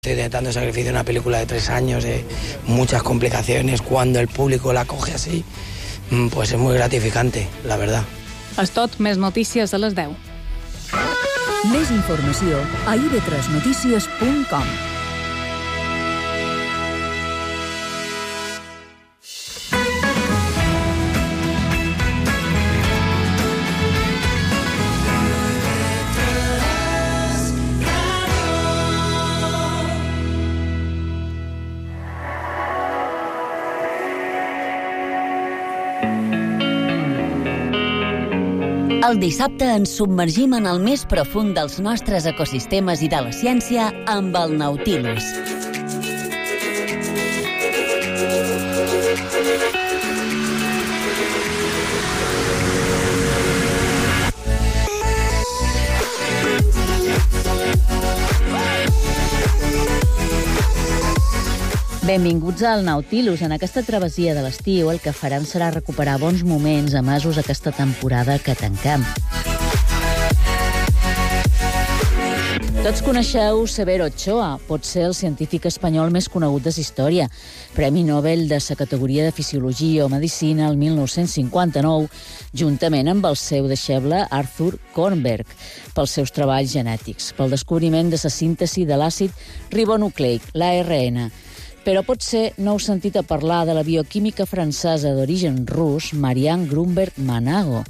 Estoy intentando sacrificio una película de 3 años, de muchas complicaciones. Cuando el público la coge así, pues es muy gratificante, la verdad. És tot, més notícies a les 10. Més informació a ib3notícies.com. El dissabte ens submergim en el més profund dels nostres ecosistemes i de la ciència amb el Nautilus. Benvinguts al Nautilus. En aquesta travessia de l'estiu el que farem serà recuperar bons moments emesos aquesta temporada que tanquem. Tots coneixeu Severo Ochoa, pot ser el científic espanyol més conegut de la història. Premi Nobel de la categoria de Fisiologia o Medicina el 1959, juntament amb el seu deixeble Arthur Kornberg, pels seus treballs genètics, pel descobriment de la síntesi de l'àcid ribonucleic, l'ARN. Però potser no heu sentit a parlar de la bioquímica francesa d'origen rus, Marianne Grunberg-Manago.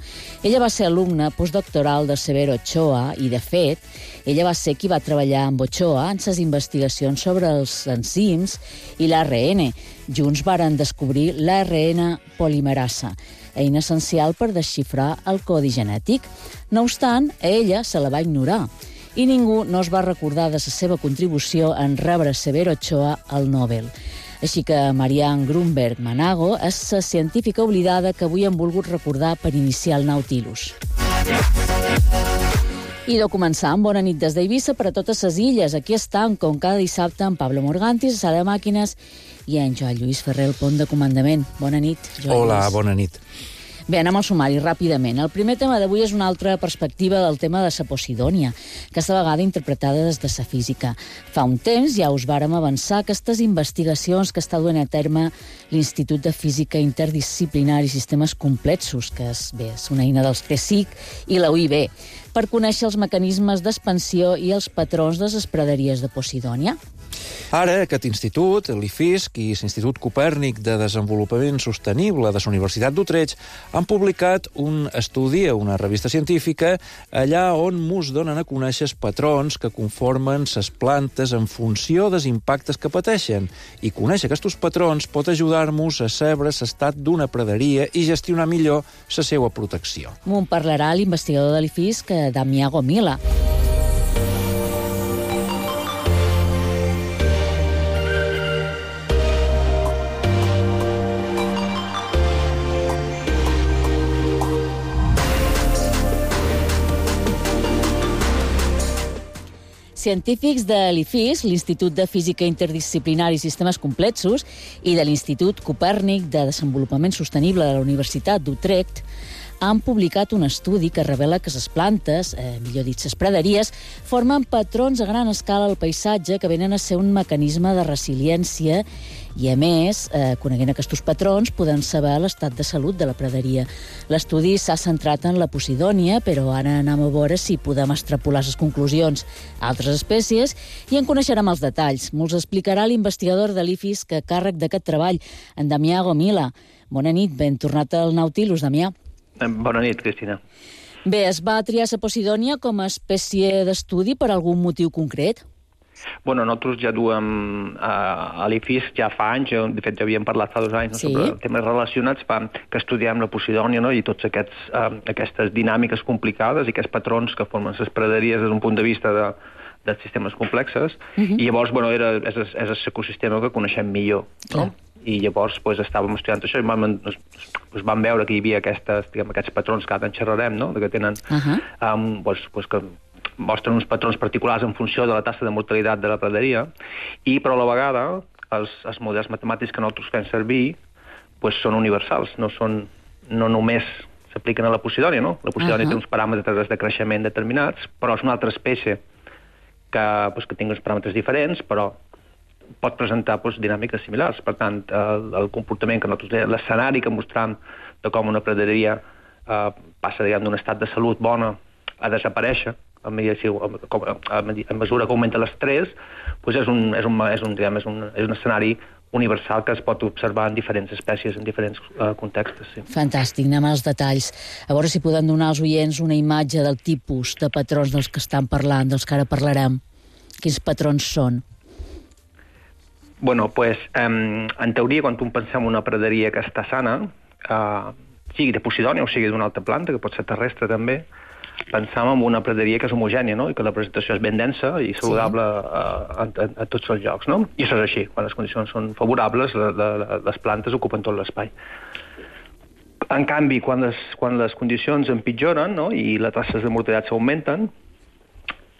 Ella va ser alumna postdoctoral de Severo Ochoa i, de fet, ella va ser qui va treballar amb Ochoa en ses investigacions sobre els enzims i l'ARN. Junts varen descobrir l'ARN polimerasa, eina essencial per desxifrar el codi genètic. No obstant, a ella se la va ignorar i ningú no es va recordar de la seva contribució en rebre Severo Ochoa el Nobel. Així que Marianne Grunberg-Manago és la científica oblidada que avui hem volgut recordar per iniciar el Nautilus. I de començar amb bona nit des d'Eivissa per a totes les illes. Aquí estan, com cada dissabte, en Pablo Morganti, a Sala de Màquines, i en Joan Lluís Ferrer, el pont de comandament. Bona nit, Joan Lluís. Hola, bona nit. Bé, anem al sumari ràpidament. El primer tema d'avui és una altra perspectiva del tema de la Posidònia, aquesta vegada interpretada des de la física. Fa un temps ja us vàrem avançar aquestes investigacions que està duent a terme l'Institut de Física Interdisciplinar i Sistemes Complexos, que és una eina dels CSIC i la UIB, per conèixer els mecanismes d'expansió i els patrons de les praderies de Posidònia. Ara, aquest institut, l'IFISC i l'Institut Copèrnic de Desenvolupament Sostenible de la Universitat d'Utrecht han publicat un estudi a una revista científica allà on mos donen a conèixer els patrons que conformen les plantes en funció dels impactes que pateixen. I conèixer aquests patrons pot ajudar-nos a saber l'estat d'una praderia i gestionar millor la seva protecció. M'ho parlarà l'investigador de l'IFISC, Damià Gomila. Científics de l'IFISC, l'Institut de Física Interdisciplinar i Sistemes Complexos, i de l'Institut Copèrnic de Desenvolupament Sostenible de la Universitat d'Utrecht, han publicat un estudi que revela que les plantes, millor dit, les praderies, formen patrons a gran escala al paisatge que venen a ser un mecanisme de resiliència i, a més, coneguent aquests patrons, podem saber l'estat de salut de la praderia. L'estudi s'ha centrat en la Posidònia, però ara anem a veure si podem extrapolar les conclusions a altres espècies i en coneixerem els detalls. Ens explicarà l'investigador de l'IFISC a càrrec d'aquest treball, en Damià Gomila. Bona nit, ben tornat al Nautilus, Damià. Bona nit, Cristina. Bé, es va triar la Posidònia com a espècie d'estudi per algun motiu concret? Bueno, nosaltres ja duem a l'IFISC ja fa anys, de fet ja havíem parlat fa 2 anys sobre temes relacionats que estudiem la Posidònia i tots aquestes dinàmiques complicades i aquests patrons que formen les praderies des d'un punt de vista de sistemes complexes, i llavors és l'ecosistema que coneixem millor, no? I llavors estàvem estudiant això i vam veure que hi havia aquests patrons que ara en xerrarem, no? Que tenen que mostren uns patrons particulars en funció de la taxa de mortalitat de la praderia, però a la vegada els models matemàtics que nosaltres fem servir són universals, no només s'apliquen a la Posidònia, no? La Posidònia té uns paràmetres de creixement determinats, però és una altra espècie que tingui uns paràmetres diferents, però pot presentar dinàmiques similars. Per tant, el comportament que nosaltres... L'escenari que mostrem de com una praderia passa, diguem, d'un estat de salut bona a desaparèixer, a mesura que augmenta l'estrès, és un escenari universal que es pot observar en diferents espècies, en diferents contextos. Sí. Fantàstic, anem als detalls. A veure si podem donar als oients una imatge del tipus de patrons dels que estan parlant, dels que ara parlarem. Quins patrons són? Bueno, en teoria, quan pensem en una praderia que està sana, sigui de Posidònia o sigui d'una altra planta, que pot ser terrestre també, pensam en una praderia que és homogènia, no? I que la presentació és ben densa i saludable a tots els llocs, no? I això és així. Quan les condicions són favorables, les plantes ocupen tot l'espai. En canvi, quan les condicions empitjoren, no? I les taxes de mortalitat s'augmenten,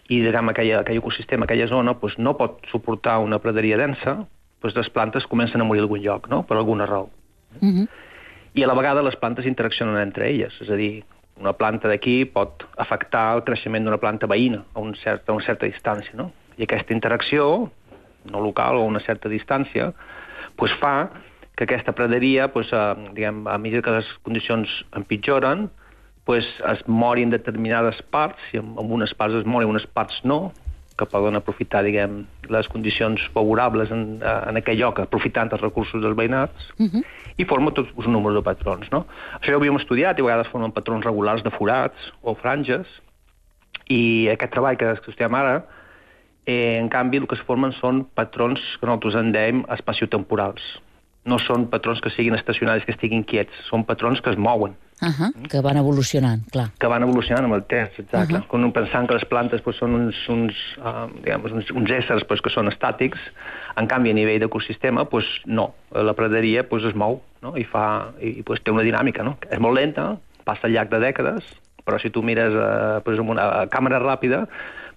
i diguem, aquell ecosistema, aquella zona, no pot suportar una praderia densa, les plantes comencen a morir a algun lloc, no? Per alguna raó. I a la vegada les plantes interaccionen entre elles, és a dir, una planta d'aquí pot afectar el creixement d'una planta veïna a una certa distància, no? I aquesta interacció, no local o a una certa distància, fa que aquesta praderia, diguem, a mesura que les condicions empitjoren, es morin determinades parts, i en unes parts es moren, unes parts no, que poden aprofitar, diguem, les condicions favorables en aquell lloc, aprofitant els recursos dels veïnats, i forma tot un número de patrons, no? Això ja ho havíem estudiat, i a vegades formen patrons regulars de forats o franges, i aquest treball que estudiem ara, en canvi, el que es formen són patrons que nosaltres en dèiem espaciotemporals. No són patrons que siguin estacionaris, que estiguin quiets, són patrons que es mouen. Que van evolucionant, clar. Que van evolucionant amb el temps, exacte. Quan pensant que les plantes són uns éssers que són estàtics, en canvi a nivell d'ecosistema, no. La praderia es mou, no? I té una dinàmica, no? És molt lenta, passa al llarg de dècades, però si tu mires amb una càmera ràpida,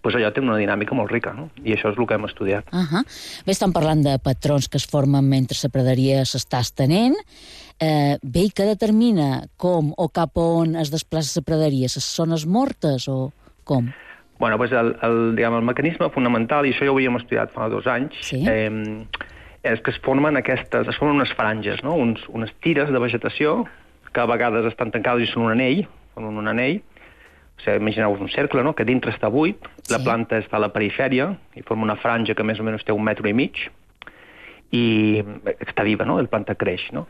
allò té una dinàmica molt rica, no? I això és el que hem estudiat. Bé, estan parlant de patrons que es formen mentre la praderia s'està estenent. Bé, i què determina com o cap on es desplaça la praderia? Les zones mortes o com? Bueno, el mecanisme fonamental, i això ja ho havíem estudiat fa 2 anys, és que es formen unes franges, no? Unes tires de vegetació que a vegades estan tancades i són un anell, imagineu-vos un cercle, no? Que dintre està buit, la planta està a la perifèria i forma una franja que més o menys té 1,5 metres i està viva, no? La planta creix, no?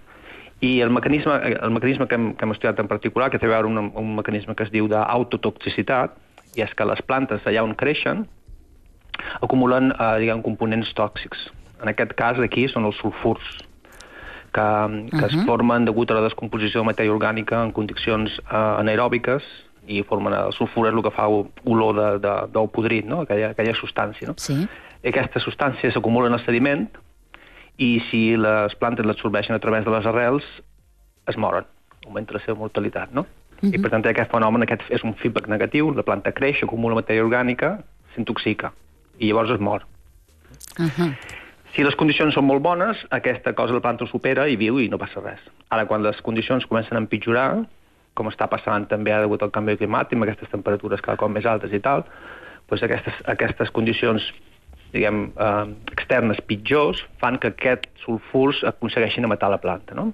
I el mecanisme que hem estudiat en particular, que té a veure amb un mecanisme que es diu d'autotoxicitat, i és que les plantes allà on creixen acumulen, components tòxics. En aquest cas aquí són els sulfurs, que es formen degut a la descomposició de matèria orgànica en condicions anaeròbiques, i el sulfur és el que fa olor d'ou podrit, no? Aquella substància, no? I aquestes substàncies s'acumulen al sediment i si les plantes l'absorbeixen a través de les arrels, es moren, augmenta la seva mortalitat, no? I per tant aquest fenomen és un feedback negatiu, la planta creix, acumula matèria orgànica, s'intoxica i llavors es mor. Si les condicions són molt bones, aquesta cosa la planta ho supera i viu i no passa res. Ara, quan les condicions comencen a empitjorar, com està passant també ara degut al canvi climàtic, amb aquestes temperatures cada cop més altes i tal, aquestes condicions, diguem, externes pitjors fan que aquests sulfurs aconsegueixin matar la planta, no?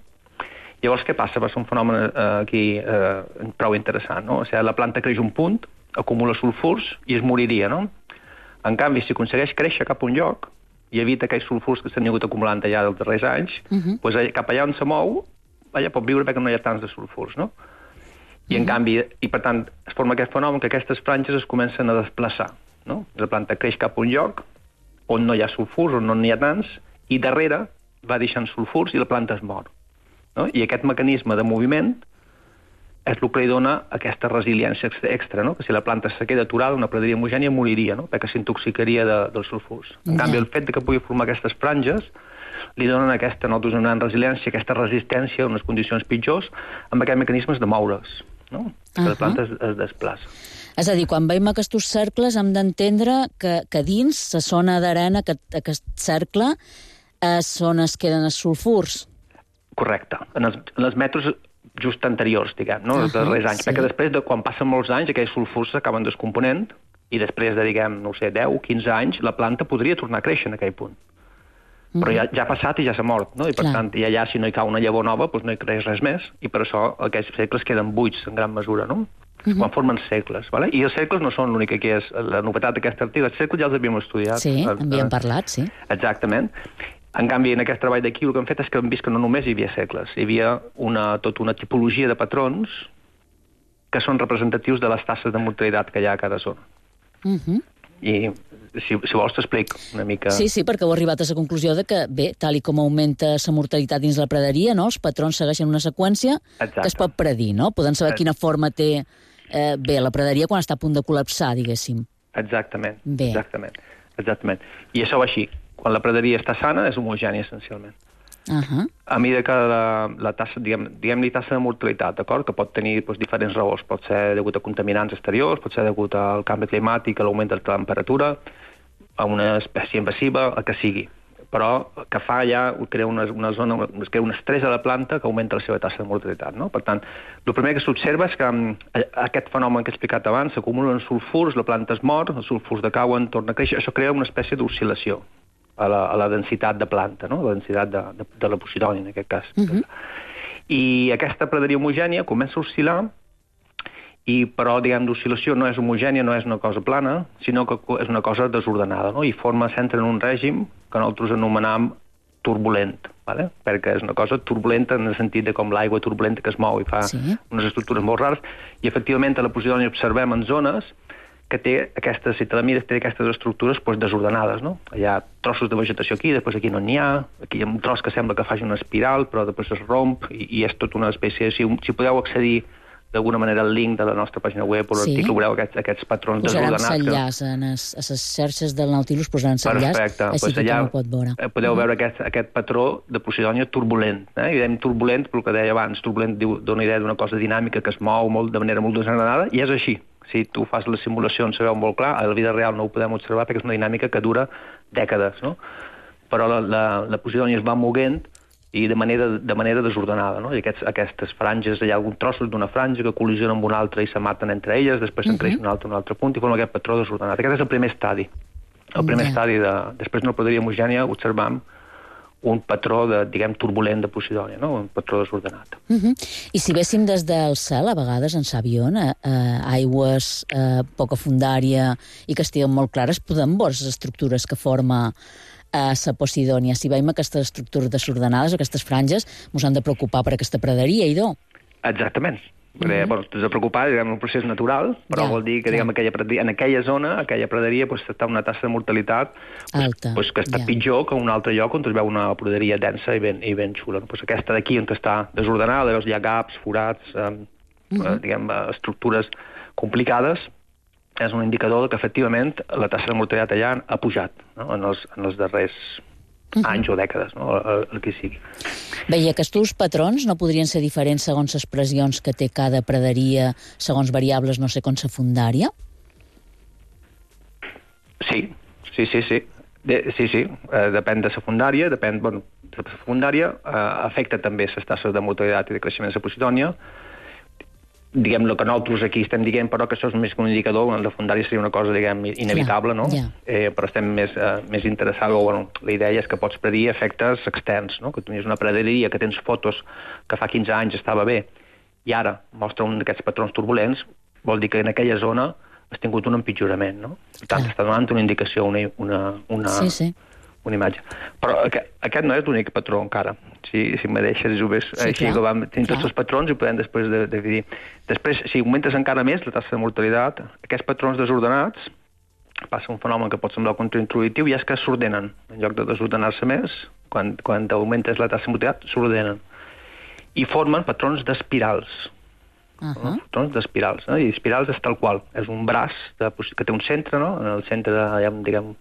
Llavors, què passa? Va ser un fenomen aquí prou interessant, no? O sigui, la planta creix un punt, acumula sulfurs i es moriria, no? En canvi, si aconsegueix créixer cap a un lloc i evita aquells sulfurs que s'han hagut acumulant allà dels darrers anys, cap allà on se mou, allà pot viure perquè no hi ha tants de sulfurs, no? I en canvi, i per tant, es forma aquest fenomen que aquestes franges es comencen a desplaçar, no? La planta creix cap a un lloc on no hi ha sulfurs, on no n'hi ha tants, i darrere va deixant sulfurs i la planta es mor, no? I aquest mecanisme de moviment és el que li dona aquesta resiliència extra, no? Que si la planta se queda aturada, una praderia homogènia moriria, no? Perquè s'intoxicaria dels sulfurs. En canvi, el fet que pugui formar aquestes franges li donen aquesta gran resiliència, aquesta resistència a unes condicions pitjors amb aquests mecanismes de moure's, no? Que la planta es desplaça. És a dir, quan veiem aquests cercles hem d'entendre que dins la zona d'arena, aquest cercle, és on es queden els sulfurs. Correcte. En els metres just anteriors, diguem, no? Els darrers anys. Perquè després, quan passen molts anys, aquells sulfurs s'acaben descomponent i després de, diguem, no ho sé, 10 o 15 anys, la planta podria tornar a créixer en aquell punt. Però ja ha passat i ja s'ha mort, no? I per tant, i allà si no hi cau una llavor nova, doncs no hi creix res més, i per això aquests segles queden buits en gran mesura, no? Quan formen segles, ¿vale? I els segles no són l'únic que és la novetat d'aquest article. Els segles ja els havíem estudiat. Sí, havíem parlat, sí. Exactament. En canvi, en aquest treball d'aquí el que hem fet és que hem vist que no només hi havia segles, hi havia tota una tipologia de patrons que són representatius de les tasses de mortalitat que hi ha a cada zona. I si vols t'explico una mica... Sí, perquè heu arribat a la conclusió de que, bé, tal i com augmenta la mortalitat dins la praderia, no? Els patrons segueixen una seqüència que es pot predir, no? Podem saber quina forma té la praderia quan està a punt de col·lapsar, diguéssim. Exactament. I això va així. Quan la praderia està sana, és homogènia, essencialment. A mesura que la tassa, diguem-li tassa de mortalitat, d'acord? Que pot tenir diferents raons. Pot ser degut a contaminants exteriors, pot ser degut al canvi climàtic, a l'augment de la temperatura, a una espècie invasiva, el que sigui. Però que fa ja, crea una zona, crea un estrès a la planta que augmenta la seva tassa de mortalitat, no? Per tant, el primer que s'observa és que aquest fenomen que he explicat abans, s'acumulen sulfurs, la planta es mor, els sulfurs decauen, torna a créixer, això crea una espècie d'oscil·lació a la densitat de planta, no? La densitat de la posidònia, en aquest cas. I aquesta praderia homogènia comença a oscil·lar, però, diguem, l'oscil·lació no és homogènia, no és una cosa plana, sinó que és una cosa desordenada, no? I s'entra en un règim que nosaltres anomenam turbulent, ¿vale? Perquè és una cosa turbulenta en el sentit de com l'aigua turbulenta que es mou i fa unes estructures molt rares, i efectivament a la posidònia observem en zones que té aquestes, si te la mires, té aquestes estructures desordenades, no? Hi ha trossos de vegetació aquí, després aquí no n'hi ha, aquí hi ha un tros que sembla que faci una espiral, però després es romp, i és tota una espècie... Si podeu accedir d'alguna manera al link de la nostra pàgina web o l'article, veureu aquests patrons desordenats. Posarem l'enllaç a les xarxes del Nautilus, posaran l'enllaç, així que tothom ho pot veure. Podeu veure aquest patró de posidònia turbulent. I dèiem turbulent, pel que deia abans, turbulent dona idea d'una cosa dinàmica que es mou de manera molt desordenada, i és així. Si tu fas les simulacions, se veu molt clar, a la vida real no ho podem observar perquè és una dinàmica que dura dècades, no? Però la posidònia es va moguent i de manera desordenada, no? I aquestes franges, hi ha alguns trossos d'una franja que col·lisionen amb una altra i se maten entre elles, després se'n creix un altre punt i forma aquest patró desordenat. Aquest és el primer estadi. El primer estadi després d'una praderia homogènia observam un patró, diguem, turbulent de posidònia, no? Un patró desordenat. I si véssim des del cel, a vegades en Savion, aigües, poca fundària i que estiguen molt clares, podem veure les estructures que forma a la Posidònia. Si veiem aquestes estructures desordenades, aquestes franges, ens han de preocupar per aquesta praderia, idò? Exactament. Perquè, t'has de preocupar, diguem, un procés natural, però vol dir que, diguem, en aquella zona, aquella praderia, està una tassa de mortalitat alta, que està pitjor que un altre lloc on es veu una praderia densa i ben xula. Aquesta d'aquí, on està desordenada, hi ha gaps, forats, diguem, estructures complicades, és un indicador que, efectivament, la tassa de mortalitat allà ha pujat, no? en els darrers anys o dècades, no? El que sigui. Bé, i aquests patrons no podrien ser diferents segons les pressions que té cada praderia, segons variables, no sé, com la fundària? Sí. Depèn de la fundària, la fundària afecta també les tasses de mortalitat i de creixement de la posidònia. Diguem, el que nosaltres aquí estem dient, però que això és més que un indicador, la fundària seria una cosa, diguem, inevitable, no? Però estem més interessats, la idea és que pots predir efectes externs, no? Que tu tenies una praderia que tens fotos que fa 15 anys estava bé i ara mostra un d'aquests patrons turbulents, vol dir que en aquella zona has tingut un empitjorament, no? Per tant, està donant una indicació, una imatge. Però aquest no és l'únic patró encara. Si me deixes, ho ves així, que vam tenir tots els patrons i ho podem després dividir. Després, si augmentes encara més la tassa de mortalitat, aquests patrons desordenats, passa un fenomen que pot semblar contraintuitiu, i és que s'ordenen. En lloc de desordenar-se més, quan augmentes la tassa de mortalitat, s'ordenen. I formen patrons d'espirals. Patrons d'espirals. I espirals és tal qual. És un braç que té un centre, no? En el centre, diguem,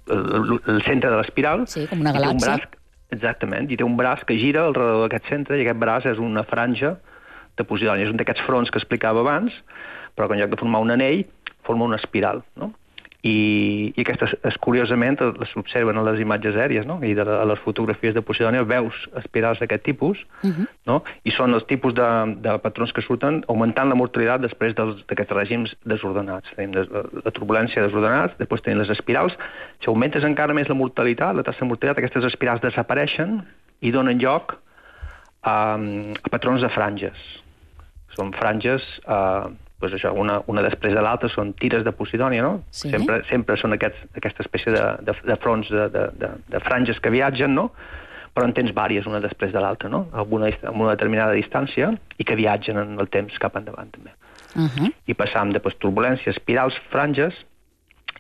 el centre de l'espiral. Sí, com una galàxia. Exactament, i té un braç que gira alrededor d'aquest centre, i aquest braç és una franja de posidònia. És un d'aquests fronts que explicava abans, però que en lloc de formar un anell, forma una espiral, no? I aquestes, curiosament, s'observen a les imatges aèries, no? I a les fotografies de Posidònia veus espirals d'aquest tipus, no? I són els tipus de patrons que surten augmentant la mortalitat després d'aquests règims desordenats. Tenim la turbulència desordenats, després tenim les espirals. Si augmentes encara més la mortalitat, la taxa de mortalitat, aquestes espirals desapareixen i donen lloc a patrons de franges. Són franges... pues això, una després de l'altra són tires de Posidònia, no? Sí. Sempre són aquesta espècie de fronts, de franges que viatgen, no? Però en tens vàries, una després de l'altra, no? Amb una determinada distància i que viatgen en el temps cap endavant, també. I passam de turbulències, espirals, franges,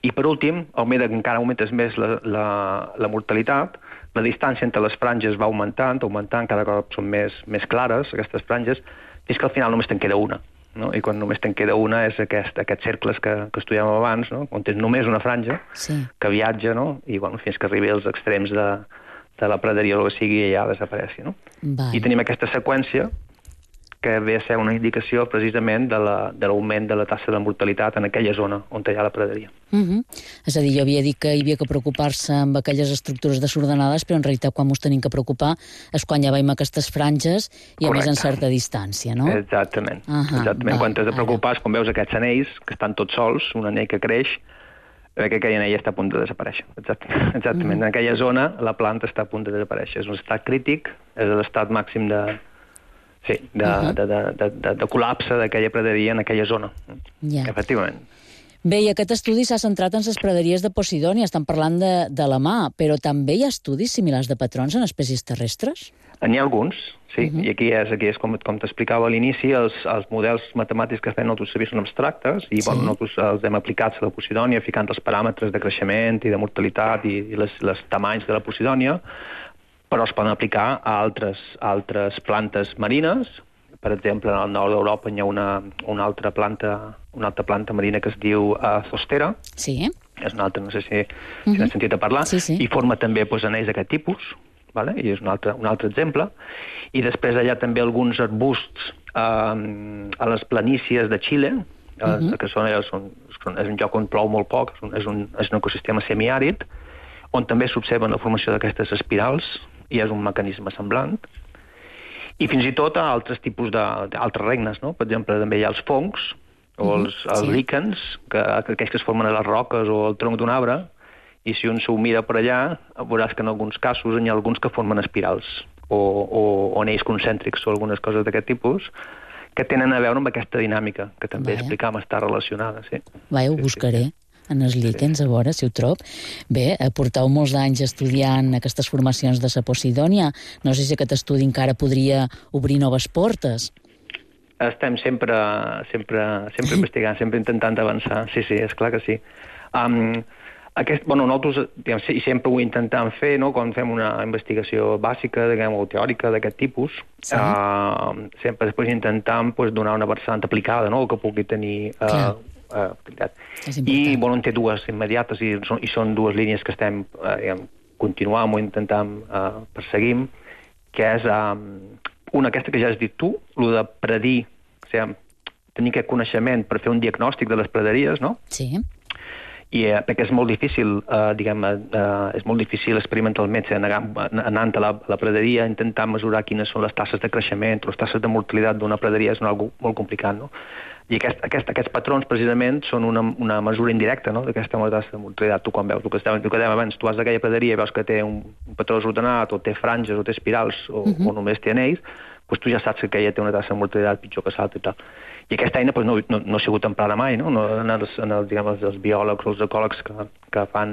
i per últim, encara augmentes més la mortalitat, la distància entre les franges va augmentant, cada cop són més clares, aquestes franges, fins que al final només te'n queda una. No? I quan només te'n queda una és aquests cercles que estudiàvem abans, no? On tens només una franja que viatja, no? I fins que arribi als extrems de la praderia o el que sigui i ja desapareixi. No? I tenim aquesta seqüència que ve a ser una indicació precisament de l'augment de la taxa de mortalitat en aquella zona on hi ha la praderia. És a dir, jo havia dit que hi havia que preocupar-se amb aquelles estructures desordenades, però en realitat quan ens tenim que preocupar és quan ja veiem aquestes franges i a més en certa distància, no? Exactament. Quan t'has de preocupar és quan veus aquests anells que estan tots sols, un anell que creix, que aquell anell està a punt de desaparèixer. Exactament. En aquella zona la planta està a punt de desaparèixer. És un estat crític, és l'estat màxim de col·lapse d'aquella praderia en aquella zona. Efectivament. Bé, i aquest estudi s'ha centrat en les praderies de Posidònia, estan parlant de la mà, però també hi ha estudis similars de patrons en espècies terrestres? N'hi ha alguns, sí, i aquí és com t'explicava a l'inici, els models matemàtics que fem nosaltres servir són abstractes, i nosaltres els hem aplicats a la Posidònia, ficant els paràmetres de creixement i de mortalitat i les tamanys de la Posidònia, però es poden aplicar a altres plantes marines. Per exemple, al nord d'Europa hi ha una altra planta marina que es diu zostera. Sí. És una altra, no sé si n'has sentit a parlar. Sí. I forma també anells d'aquest tipus, i és un altre exemple. I després allà també alguns arbusts a les planícies de Xile, que és un lloc on plou molt poc, és un ecosistema semiàrid, on també s'observa la formació d'aquestes espirals, i és un mecanisme semblant. I fins i tot a altres tipus d'altres regnes, no? Per exemple, també hi ha els fongs, o els líquens, aquells que es formen a les roques o al tronc d'un arbre, i si un s'ho mira per allà, veuràs que en alguns casos hi ha alguns que formen espirals, o anells concèntrics, o algunes coses d'aquest tipus, que tenen a veure amb aquesta dinàmica, que també explicàvem està relacionada, sí. Ho buscaré. En els líquens, a veure si ho trob. Bé, porteu molts anys estudiant aquestes formacions de la Posidònia. No sé si aquest estudi encara podria obrir noves portes. Estem sempre investigant, sempre intentant avançar. Sí, és clar que sí. Nosaltres sempre ho intentem fer, no? Quan fem una investigació bàsica, o teòrica d'aquest tipus, sempre després intentem donar una vessant aplicada, no? Que pugui tenir... I en té dues immediates i són dues línies que estem continuant o intentant perseguim, que és una aquesta que ja has dit tu, el de predir, tenir aquest coneixement per fer un diagnòstic de les praderies, no? Sí. I perquè és molt difícil, és molt difícil experimentalment anant a la praderia, intentar mesurar quines són les tasses de creixement o les tasses de mortalitat d'una praderia és una cosa molt complicat, no? I aquests patrons, precisament, són una mesura indirecta, no?, d'aquesta tassa de mortalitat. Tu, quan veus el que dèiem abans, tu vas d'aquella praderia i veus que té un patró desordenat, o té franges, o té espirals, o només té anells, doncs tu ja saps que aquella té una tassa de mortalitat pitjor que l'altra i tal. I aquesta eina no ha sigut emprada mai, no? Els biòlegs o els ecòlegs que fan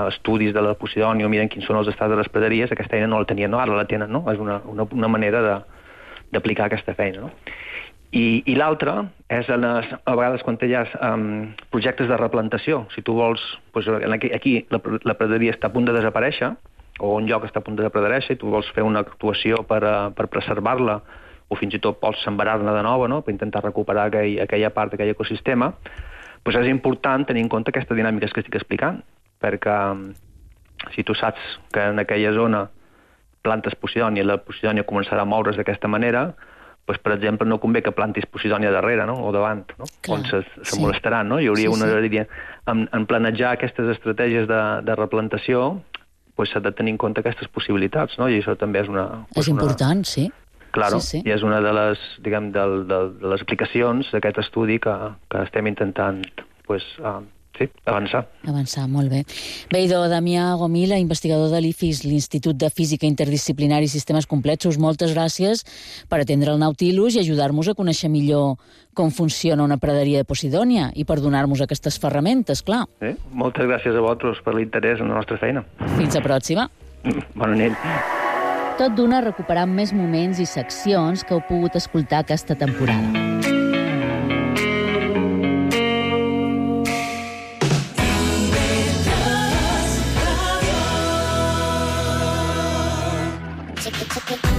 estudis de la Posidònia o miren quins són els estats de les praderies, aquesta eina no la tenien, no? Ara la tenen, no? És una manera d'aplicar aquesta feina, no? I l'altra és a vegades quan hi ha projectes de replantació. Si tu vols, aquí la praderia està a punt de desaparèixer, o un lloc està a punt de desaparèixer, i tu vols fer una actuació per preservar-la, o fins i tot pots sembrar-ne de nova, no?, per intentar recuperar aquella part d'aquell ecosistema, doncs és important tenir en compte aquesta dinàmica que estic explicant, perquè si tu saps que en aquella zona plantes Posidònia i la Posidònia començarà a moure's d'aquesta manera, doncs, per exemple, no convé que plantis posidònia darrere, no? O davant, no? On se molestaran, no? Hi hauria una línia. En planejar aquestes estratègies de replantació, doncs s'ha de tenir en compte aquestes possibilitats, no? I això també és una... És important, sí. Claro, i és una de les, diguem, de les aplicacions d'aquest estudi que estem intentant, avançar. Avançar, molt bé. Bé, idò, Damià Gomila, investigador de l'IFIS, l'Institut de Física Interdisciplinari i Sistemes Complexos, moltes gràcies per atendre el Nautilus i ajudar-nos a conèixer millor com funciona una praderia de Posidònia i per donar-nos aquestes ferramentes, clar. Moltes gràcies a vosaltres per l'interès en la nostra feina. Fins la pròxima. Bona nit. Tot d'una recuperant més moments i seccions que heu pogut escoltar aquesta temporada.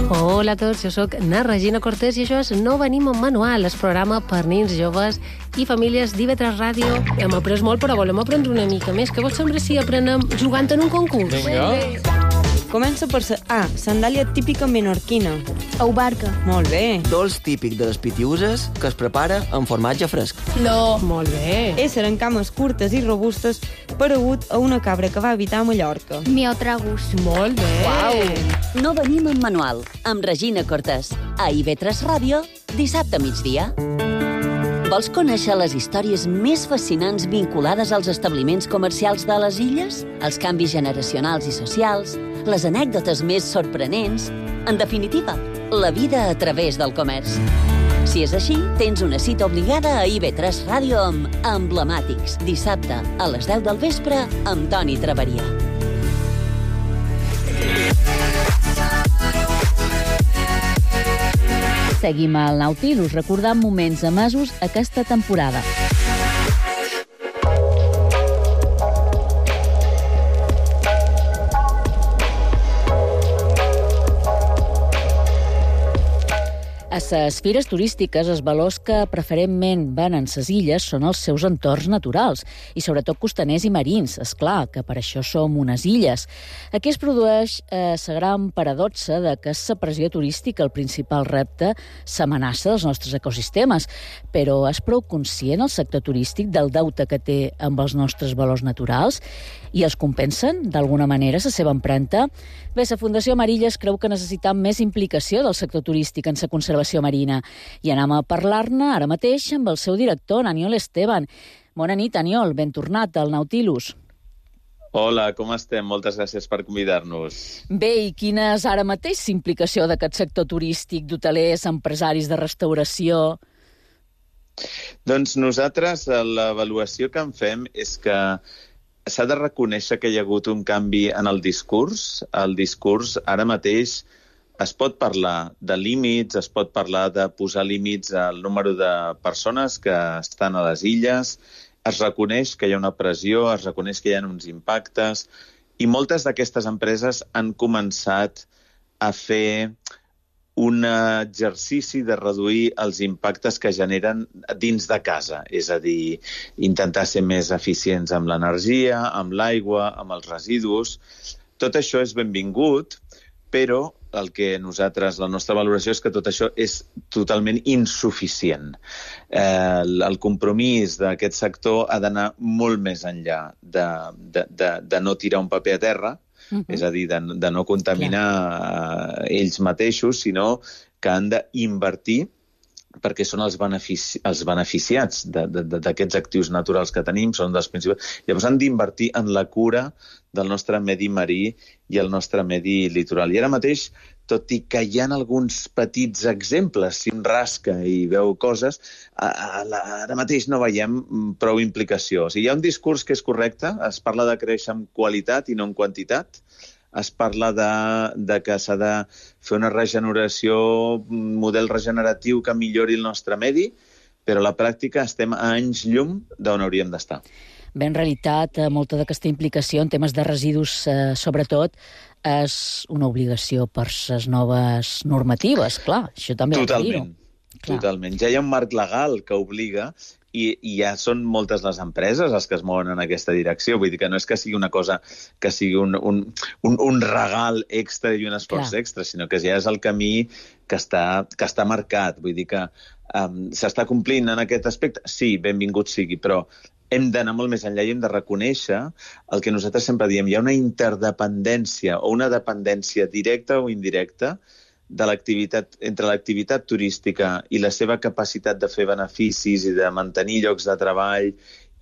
Hola a tots, jo sóc na Regina Cortés i això és No venim amb manual, el programa per nens, joves i famílies d'IV3 Ràdio. Hem après molt, però volem aprendre una mica més. Què vos sembla si aprenem jugant en un concurs? Vinga. Comença per A, sandàlia típica menorquina. Ou barca. Molt bé. Dolç típic de les Pitiuses que es prepara amb formatge fresc. Flor. Molt bé. Ésser en cames curtes i robustes paregut a una cabra que va habitar a Mallorca. Miotragus. Molt bé. Uau. No venim amb manual, amb Regina Cortés. A IV3 Ràdio, dissabte a migdia. Vols conèixer les històries més fascinants vinculades als establiments comercials de les illes? Els canvis generacionals i socials? Les anècdotes més sorprenents? En definitiva, la vida a través del comerç. Si és així, tens una cita obligada a IV3 Ràdio amb Emblemàtics, dissabte a les 10 del vespre amb Toni Traveria. Seguim al Nautilus, recordant moments emesos aquesta temporada. A les fires turístiques, els valors que preferentment van en ses illes són els seus entorns naturals, i sobretot costaners i marins, és clar, que per això som unes illes. Aquí es produeix la gran paradoxa de que és la pressió turística el principal repte, l'amenaça dels nostres ecosistemes, però és prou conscient el sector turístic del deute que té amb els nostres valors naturals i els compensen, d'alguna manera, la seva empremta? Bé, la Fundació Amarillas creu que necessitem més implicació del sector turístic en la conservació marina. I anem a parlar-ne ara mateix amb el seu director, Aniol Esteban. Bona nit, Aniol, ben tornat al Nautilus. Hola, com estem? Moltes gràcies per convidar-nos. Bé, i quina és ara mateix la implicació d'aquest sector turístic, d'hotelers, empresaris de restauració? Doncs nosaltres l'avaluació que en fem és que s'ha de reconèixer que hi ha hagut un canvi en el discurs. El discurs ara mateix es pot parlar de límits, es pot parlar de posar límits al número de persones que estan a les illes, es reconeix que hi ha una pressió, es reconeix que hi ha uns impactes, i moltes d'aquestes empreses han començat a fer un exercici de reduir els impactes que generen dins de casa, és a dir, intentar ser més eficients amb l'energia, amb l'aigua, amb els residus. Tot això és benvingut, però el que nosaltres, la nostra valoració és que tot això és totalment insuficient. El compromís d'aquest sector ha d'anar molt més enllà de no tirar un paper a terra, és a dir, de no contaminar ells mateixos, sinó que han d'invertir perquè són els beneficiats d'aquests actius naturals que tenim, són dels principals. Llavors han d'invertir en la cura del nostre medi marí i el nostre medi litoral. I ara mateix, tot i que hi ha alguns petits exemples, si un rasca i veu coses, ara mateix no veiem prou implicació. O sigui, hi ha un discurs que és correcte, es parla de créixer en qualitat i no en quantitat, es parla de que s'ha de fer una regeneració, un model regeneratiu que millori el nostre medi, però a la pràctica estem a anys llum d'on hauríem d'estar. Bé, en realitat, molta d'aquesta implicació en temes de residus, sobretot, és una obligació per les noves normatives, clar, això també ha de dir-ho. Totalment. Ja hi ha un marc legal que obliga i ja són moltes les empreses les que es mouen en aquesta direcció. Vull dir que no és que sigui una cosa que sigui un regal extra i un esforç extra, sinó que ja és el camí que està marcat. Vull dir que s'està complint en aquest aspecte? Sí, benvingut sigui, però hem d'anar molt més enllà i hem de reconèixer el que nosaltres sempre diem. Hi ha una interdependència o una dependència directa o indirecta entre l'activitat turística i la seva capacitat de fer beneficis i de mantenir llocs de treball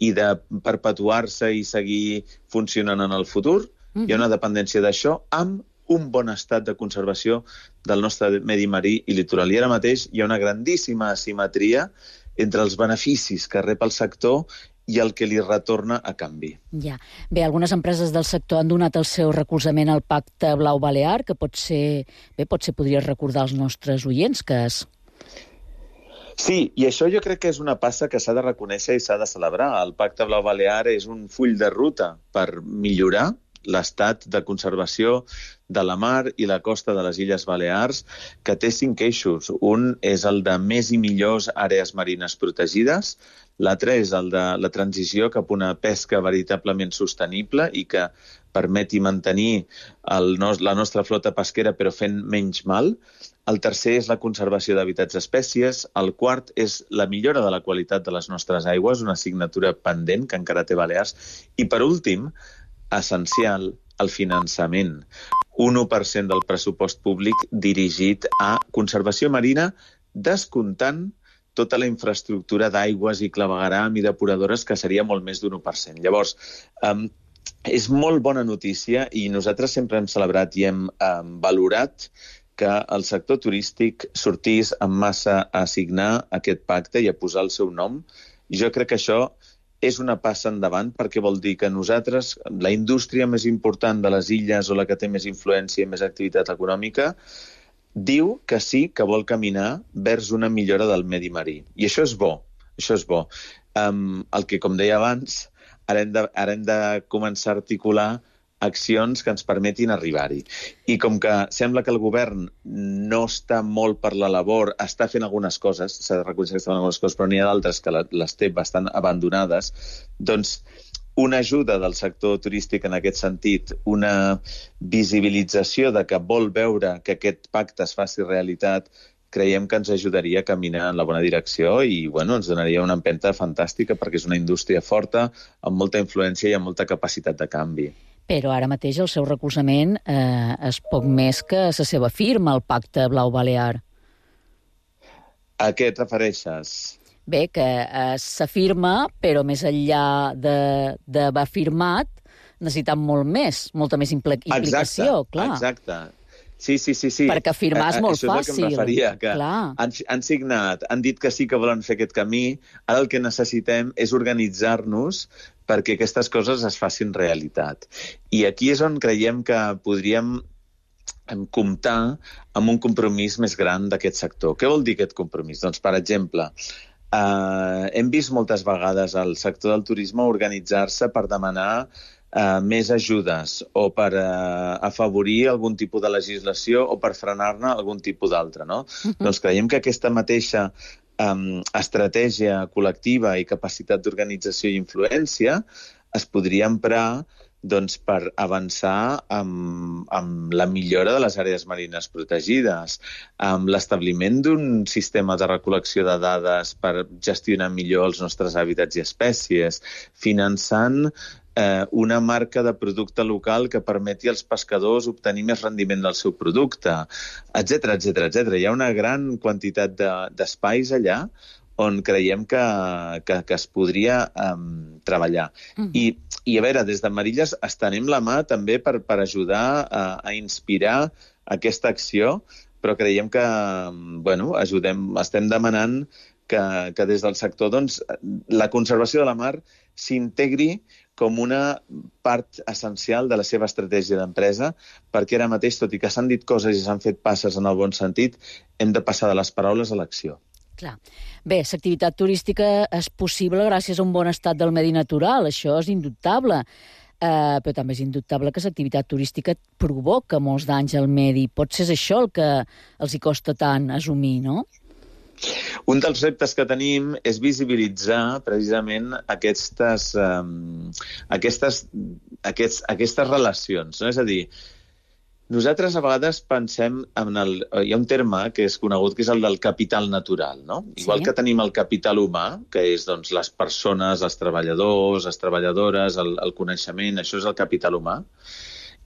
i de perpetuar-se i seguir funcionant en el futur. Hi ha una dependència d'això amb un bon estat de conservació del nostre medi marí i litoral. I ara mateix hi ha una grandíssima asimetria entre els beneficis que rep el sector i el que li retorna a canvi. Ja. Bé, algunes empreses del sector han donat el seu recolzament al Pacte Blau Balear, que potser podries recordar als nostres oients que és... Sí, i això jo crec que és una passa que s'ha de reconèixer i s'ha de celebrar. El Pacte Blau Balear és un full de ruta per millorar l'estat de conservació de la mar i la costa de les Illes Balears, que té 5 eixos. Un és el de més i millors àrees marines protegides, l'altre és el de la transició cap a una pesca veritablement sostenible i que permeti mantenir la nostra flota pesquera però fent menys mal. El tercer és la conservació d'hàbitats espècies. El quart és la millora de la qualitat de les nostres aigües, una assignatura pendent que encara té Balears. I per últim, essencial, el finançament. Un 1% del pressupost públic dirigit a conservació marina, descomptant tota la infraestructura d'aigües i clavegueram i depuradores, que seria molt més d'un 1%. Llavors, és molt bona notícia i nosaltres sempre hem celebrat i hem valorat que el sector turístic sortís en massa a signar aquest pacte i a posar el seu nom. Jo crec que això és una passa endavant perquè vol dir que nosaltres, la indústria més important de les illes o la que té més influència i més activitat econòmica, diu que sí que vol caminar vers una millora del medi marí. I això és bo, això és bo. El que, com deia abans, ara hem de començar a articular accions que ens permetin arribar-hi. I com que sembla que el govern no està molt per la labor, està fent algunes coses, s'ha de reconèixer que està fent algunes coses, però n'hi ha d'altres que les té bastant abandonades, doncs una ajuda del sector turístic en aquest sentit, una visibilització de que vol veure que aquest pacte es faci realitat, creiem que ens ajudaria a caminar en la bona direcció i ens donaria una empenta fantàstica perquè és una indústria forta, amb molta influència i amb molta capacitat de canvi. Però ara mateix el seu recolzament és poc més que la seva firma, el Pacte Blau Balear. A què et refereixes? Bé, que s'afirma, però més enllà d'haver firmat, necessitem molt més, molta més implicació, clar. Exacte. Sí. Perquè firmar és molt fàcil. Això és el que em referia, que han signat, han dit que sí que volen fer aquest camí, ara el que necessitem és organitzar-nos perquè aquestes coses es facin realitat. I aquí és on creiem que podríem comptar amb un compromís més gran d'aquest sector. Què vol dir aquest compromís? Doncs, per exemple, hem vist moltes vegades el sector del turisme organitzar-se per demanar més ajudes o per afavorir algun tipus de legislació o per frenar-ne algun tipus d'altre, no? Doncs creiem que aquesta mateixa estratègia col·lectiva i capacitat d'organització i influència es podria emprar per avançar amb la millora de les àrees marines protegides, amb l'establiment d'un sistema de recol·lecció de dades per gestionar millor els nostres hàbitats i espècies, finançant una marca de producte local que permeti als pescadors obtenir més rendiment del seu producte, etc. Hi ha una gran quantitat d'espais allà on creiem que es podria treballar. I a veure, des de Marilles estenem la mà també per ajudar a inspirar aquesta acció, però creiem que estem demanant que des del sector la conservació de la mar s'integri com una part essencial de la seva estratègia d'empresa, perquè ara mateix, tot i que s'han dit coses i s'han fet passes en el bon sentit, hem de passar de les paraules a l'acció. Clar. Bé, l'activitat turística és possible gràcies a un bon estat del medi natural, això és indubtable. Però també és indubtable que l'activitat turística provoca molts danys al medi. Potser és això el que els hi costa tant assumir, no? Un dels reptes que tenim és visibilitzar precisament aquestes relacions, no? És a dir, nosaltres a vegades pensem hi ha un terme que és conegut que és el del capital natural, no? Igual que tenim el capital humà, que és doncs, les persones, els treballadors, les treballadores, el coneixement, això és el capital humà,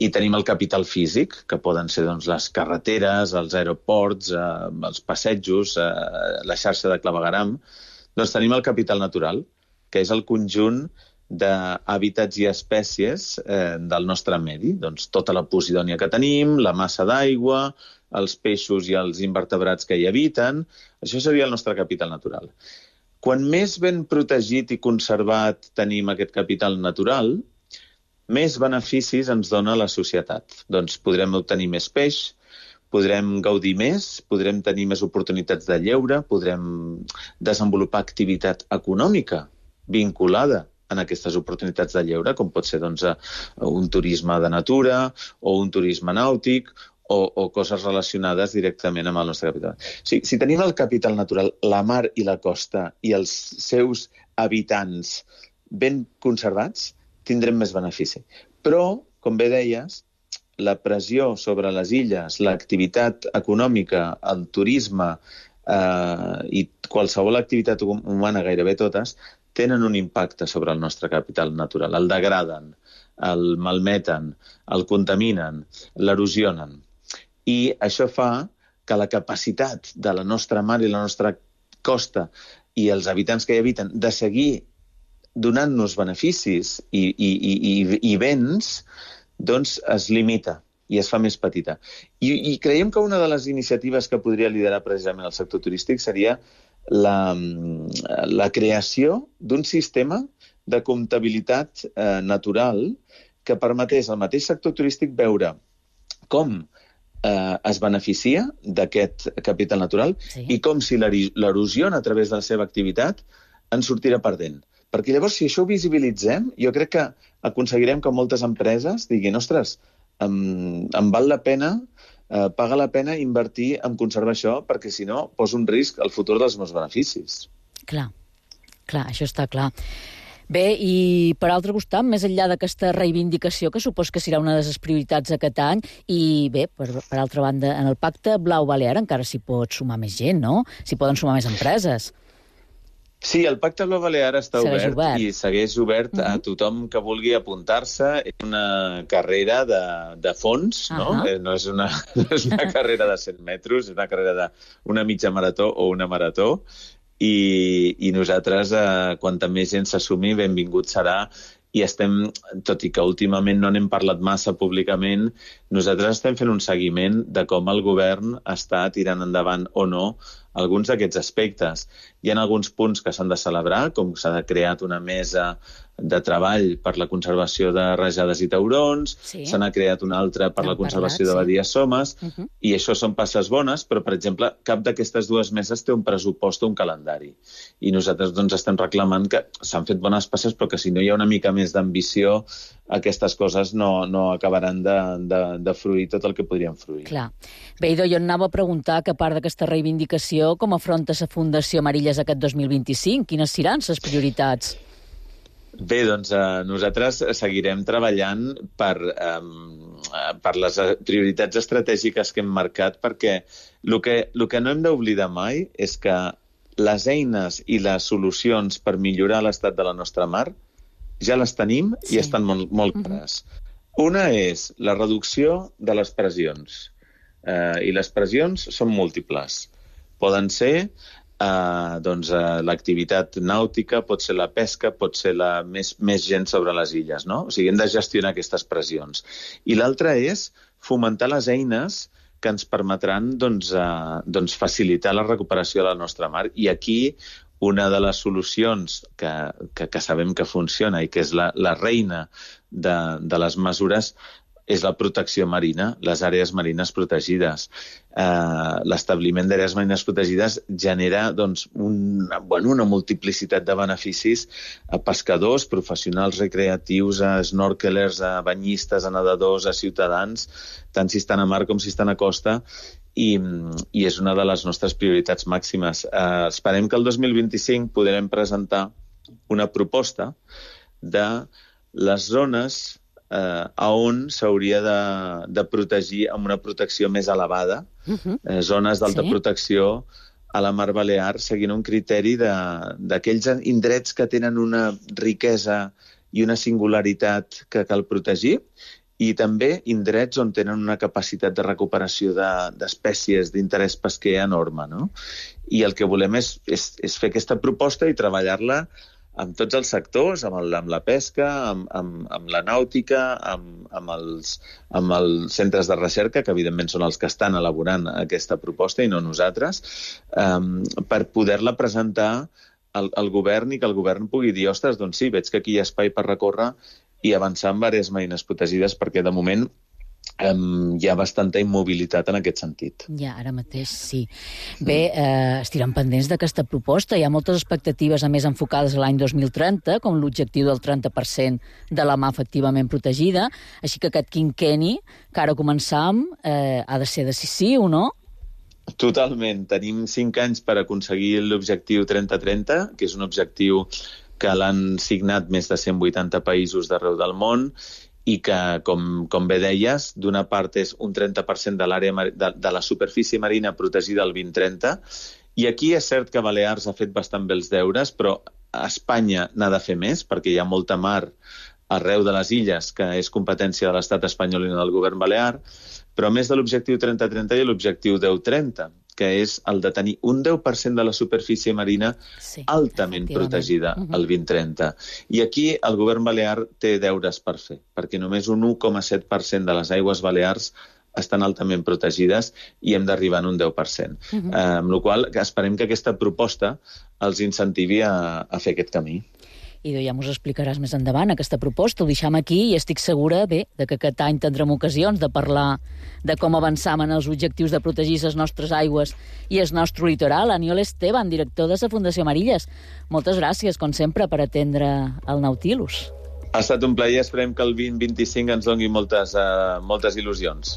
i tenim el capital físic, que poden ser doncs, les carreteres, els aeroports, els passejos, la xarxa de clavegueram. Doncs tenim el capital natural, que és el conjunt d'hàbitats i espècies del nostre medi. Doncs tota la posidònia que tenim, la massa d'aigua, els peixos i els invertebrats que hi habiten, això seria el nostre capital natural. Quan més ben protegit i conservat tenim aquest capital natural, més beneficis ens dona la societat. Doncs podrem obtenir més peix, podrem gaudir més, podrem tenir més oportunitats de lleure, podrem desenvolupar activitat econòmica vinculada en aquestes oportunitats de lleure, com pot ser doncs, un turisme de natura o un turisme nàutic o coses relacionades directament amb el nostre capital. Si tenim el capital natural, la mar i la costa i els seus habitants ben conservats, tindrem més benefici. Però, com bé deies, la pressió sobre les illes, l'activitat econòmica, el turisme i qualsevol activitat humana, gairebé totes, tenen un impacte sobre el nostre capital natural. El degraden, el malmeten, el contaminen, l'erosionen. I això fa que la capacitat de la nostra mar i la nostra costa i els habitants que hi habiten de seguir donant-nos beneficis i béns, doncs es limita i es fa més petita. I creiem que una de les iniciatives que podria liderar precisament el sector turístic seria la creació d'un sistema de comptabilitat natural que permetés al mateix sector turístic veure com es beneficia d'aquest capital natural i com si l'erosiona a través de la seva activitat en sortirà perdent. Perquè llavors, si això ho visibilitzem, jo crec que aconseguirem que moltes empreses diguin, ostres, em val la pena, paga la pena invertir en conservar això, perquè si no, poso en risc el futur dels meus beneficis. Clar, això està clar. Bé, i per altre costat, més enllà d'aquesta reivindicació, que supos que serà una de les prioritats aquest any, i bé, per altra banda, en el Pacte Blau Balear encara s'hi pot sumar més gent, no? S'hi poden sumar més empreses. Sí, el Pacte Blau Balear està obert i segueix obert a tothom que vulgui apuntar-se. És una carrera de fons, no? No és una carrera de 100 metres, és una carrera d'una mitja marató o una marató. I nosaltres, quanta més gent s'assumi, benvingut serà. I estem, tot i que últimament no n'hem parlat massa públicament, nosaltres estem fent un seguiment de com el govern està tirant endavant o no alguns d'aquests aspectes. Hi ha alguns punts que s'han de celebrar, com s'ha creat una mesa de treball per la conservació de rajades i taurons, se n'ha creat una altra per la conservació de badies somes, i això són passes bones, però, per exemple, cap d'aquestes dues meses té un pressupost o un calendari. I nosaltres doncs, estem reclamant que s'han fet bones passes, però que si no hi ha una mica més d'ambició, aquestes coses no acabaran de fruir tot el que podrien fruir. Clar. Bé, jo anava a preguntar que a part d'aquesta reivindicació, com afronta la Fundació Amarillas aquest 2025? Quines seran les prioritats? Bé, doncs nosaltres seguirem treballant per les prioritats estratègiques que hem marcat, perquè el que no hem d'oblidar mai és que les eines i les solucions per millorar l'estat de la nostra mar ja les tenim i estan molt clares. Una és la reducció de les pressions. I les pressions són múltiples. Poden ser l'activitat nàutica, pot ser la pesca, pot ser més gent sobre les illes, no? O sigui, hem de gestionar aquestes pressions. I l'altra és fomentar les eines que ens permetran facilitar la recuperació de la nostra mar. I aquí una de les solucions que sabem que funciona i que és la reina de les mesures és la protecció marina, les àrees marines protegides. L'establiment d'àrees marines protegides genera una multiplicitat de beneficis a pescadors, professionals recreatius, a snorkelers, a banyistes, a nedadors, a ciutadans, tant si estan a mar com si estan a costa, i és una de les nostres prioritats màximes. Esperem que el 2025 podrem presentar una proposta de les zones on s'hauria de protegir amb una protecció més elevada, zones d'alta protecció a la Mar Balear, seguint un criteri d'aquells indrets que tenen una riquesa i una singularitat que cal protegir, i també indrets on tenen una capacitat de recuperació d'espècies d'interès pesquer enorme, no? I el que volem és fer aquesta proposta i treballar-la amb tots els sectors, amb la pesca, amb la nàutica, amb els centres de recerca, que evidentment són els que estan elaborant aquesta proposta i no nosaltres, per poder-la presentar al govern i que el govern pugui dir, ostres, doncs sí, veig que aquí hi ha espai per recórrer i avançar en diverses marines protegides, perquè de moment hi ha bastanta immobilitat en aquest sentit. Ja, ara mateix sí. Bé, estirem pendents d'aquesta proposta. Hi ha moltes expectatives, a més, enfocades a l'any 2030, com l'objectiu del 30% de la mar efectivament protegida. Així que aquest quinquenni, que ara començam, ha de ser decisiu, no? Totalment. Tenim 5 anys per aconseguir l'objectiu 30-30, que és un objectiu que l'han signat més de 180 països d'arreu del món, i que, com bé deies, d'una part és un 30% de l'àrea de la superfície marina protegida al 2030, i aquí és cert que Balears ha fet bastant bé els deures, però Espanya n'ha de fer més, perquè hi ha molta mar arreu de les illes, que és competència de l'estat espanyol i no del govern balear, però a més de l'objectiu 30-30 hi ha l'objectiu 10-30, que és el de tenir un 10% de la superfície marina altament protegida al 2030. I aquí el govern balear té deures per fer, perquè només un 1,7% de les aigües balears estan altament protegides i hem d'arribar en un 10%. Amb la qual cosa esperem que aquesta proposta els incentivi a fer aquest camí. I ja mos explicaràs més endavant aquesta proposta. Ho deixam aquí i estic segura, bé, que aquest any tindrem ocasions de parlar de com avançam en els objectius de protegir les nostres aigües i el nostre litoral. Aniol Esteban, director de la Fundació Marilles. Moltes gràcies, com sempre, per atendre el Nautilus. Ha estat un plaer. Esperem que el 2025 ens doni moltes il·lusions.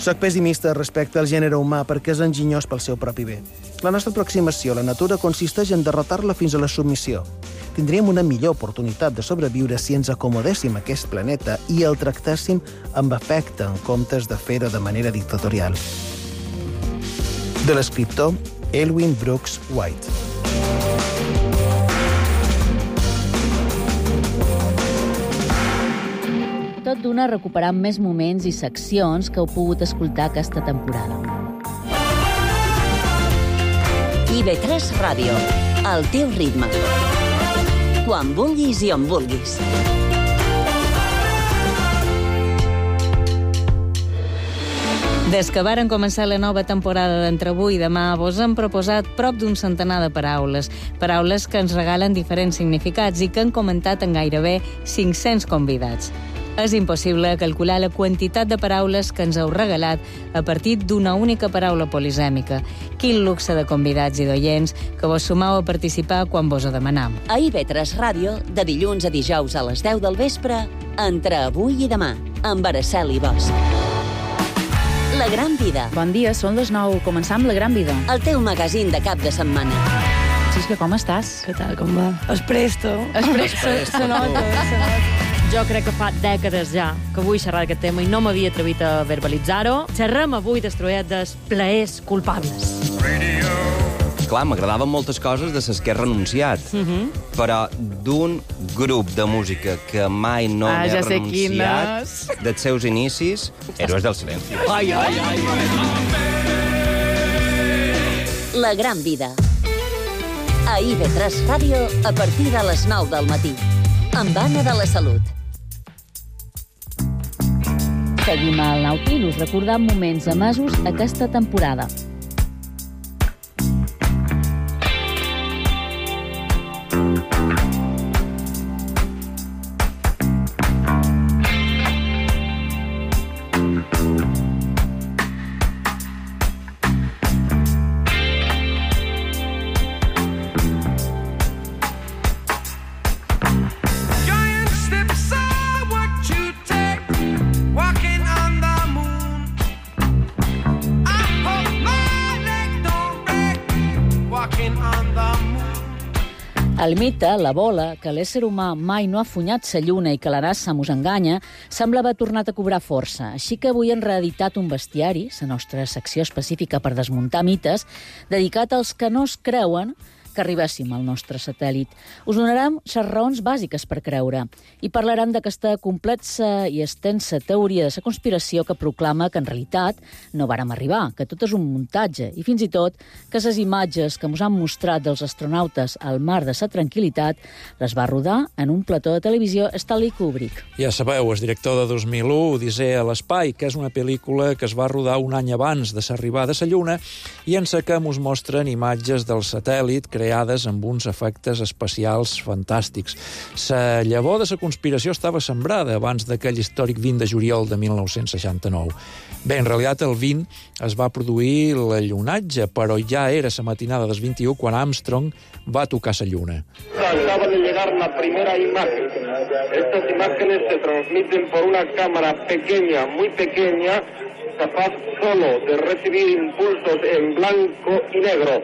Soc pessimista respecte al gènere humà perquè és enginyós pel seu propi bé. La nostra aproximació a la natura consisteix en derrotar-la fins a la submissió. Tindríem una millor oportunitat de sobreviure si ens acomodéssim a aquest planeta i el tractéssim amb afecte en comptes de fer-ho de manera dictatorial. De l'escriptor Elwyn Brooks White. Tot d'una recuperant més moments i seccions que heu pogut escoltar aquesta temporada. IB3 Ràdio, al teu ritme. Quan vulguis i on vulguis. Des que varen començar la nova temporada d'Entre avui i demà, vos hem proposat prop d'un centenar de paraules. Paraules que ens regalen diferents significats i que han comentat en gairebé 500 convidats. És impossible calcular la quantitat de paraules que ens heu regalat a partir d'una única paraula polisèmica. Quin luxe de convidats i d'oients que vos sumau a participar quan vos ho demanam. A IB3 Ràdio, de dilluns a dijous a les 10 del vespre, Entre avui i demà, amb Araceli Bosch. La Gran Vida. Bon dia, són les 9. Començam La Gran Vida. El teu magazín de cap de setmana. Xisca, com estàs? Què tal, com va? Espresto. Se nota. Jo crec que fa dècades ja que vull xerrar d'aquest tema i no m'havia atrevit a verbalitzar-ho. Xerrem avui destruït dels plaers culpables. Clar, m'agradaven moltes coses de les que he renunciat, però d'un grup de música que mai no m'he renunciat dels seus inicis, Héroes del Silencio. La Gran Vida. A IB3 Ràdio a partir de les 9 del matí. Amb Anna de la Salut. Seguim al Nautilus recordant moments emesos aquesta temporada. El mite, la bola, que l'ésser humà mai no ha funyat sa lluna i que la NASA mos enganya, sembla haver tornat a cobrar força. Així que avui hem reeditat un bestiari, la nostra secció específica per desmuntar mites, dedicat als que no es creuen que arribéssim al nostre satèl·lit. Us donarem les raons bàsiques per creure i parlarem d'aquesta complexa i extensa teoria de la conspiració que proclama que en realitat no vàrem arribar, que tot és un muntatge i fins i tot que les imatges que ens han mostrat dels astronautes al mar de la tranquil·litat les va rodar en un plató de televisió Stanley Kubrick. Ja sabeu, el director de 2001, Odissea a l'espai, que és una pel·lícula que es va rodar un any abans de l'arribada a la Lluna i en la que ens mostren imatges del satèl·lit creades amb uns efectes especials fantàstics. La llavor de la conspiració estava sembrada abans d'aquell històric 20 de juliol de 1969. Bé, en realitat el 20 es va produir l'allunatge, però ja era la matinada del 21 quan Armstrong va tocar la Lluna. Acaba de llegar la primera imagen. Estas imágenes se transmiten por una cámara pequeña, muy pequeña, capaz solo de recibir impulsos en blanco y negro.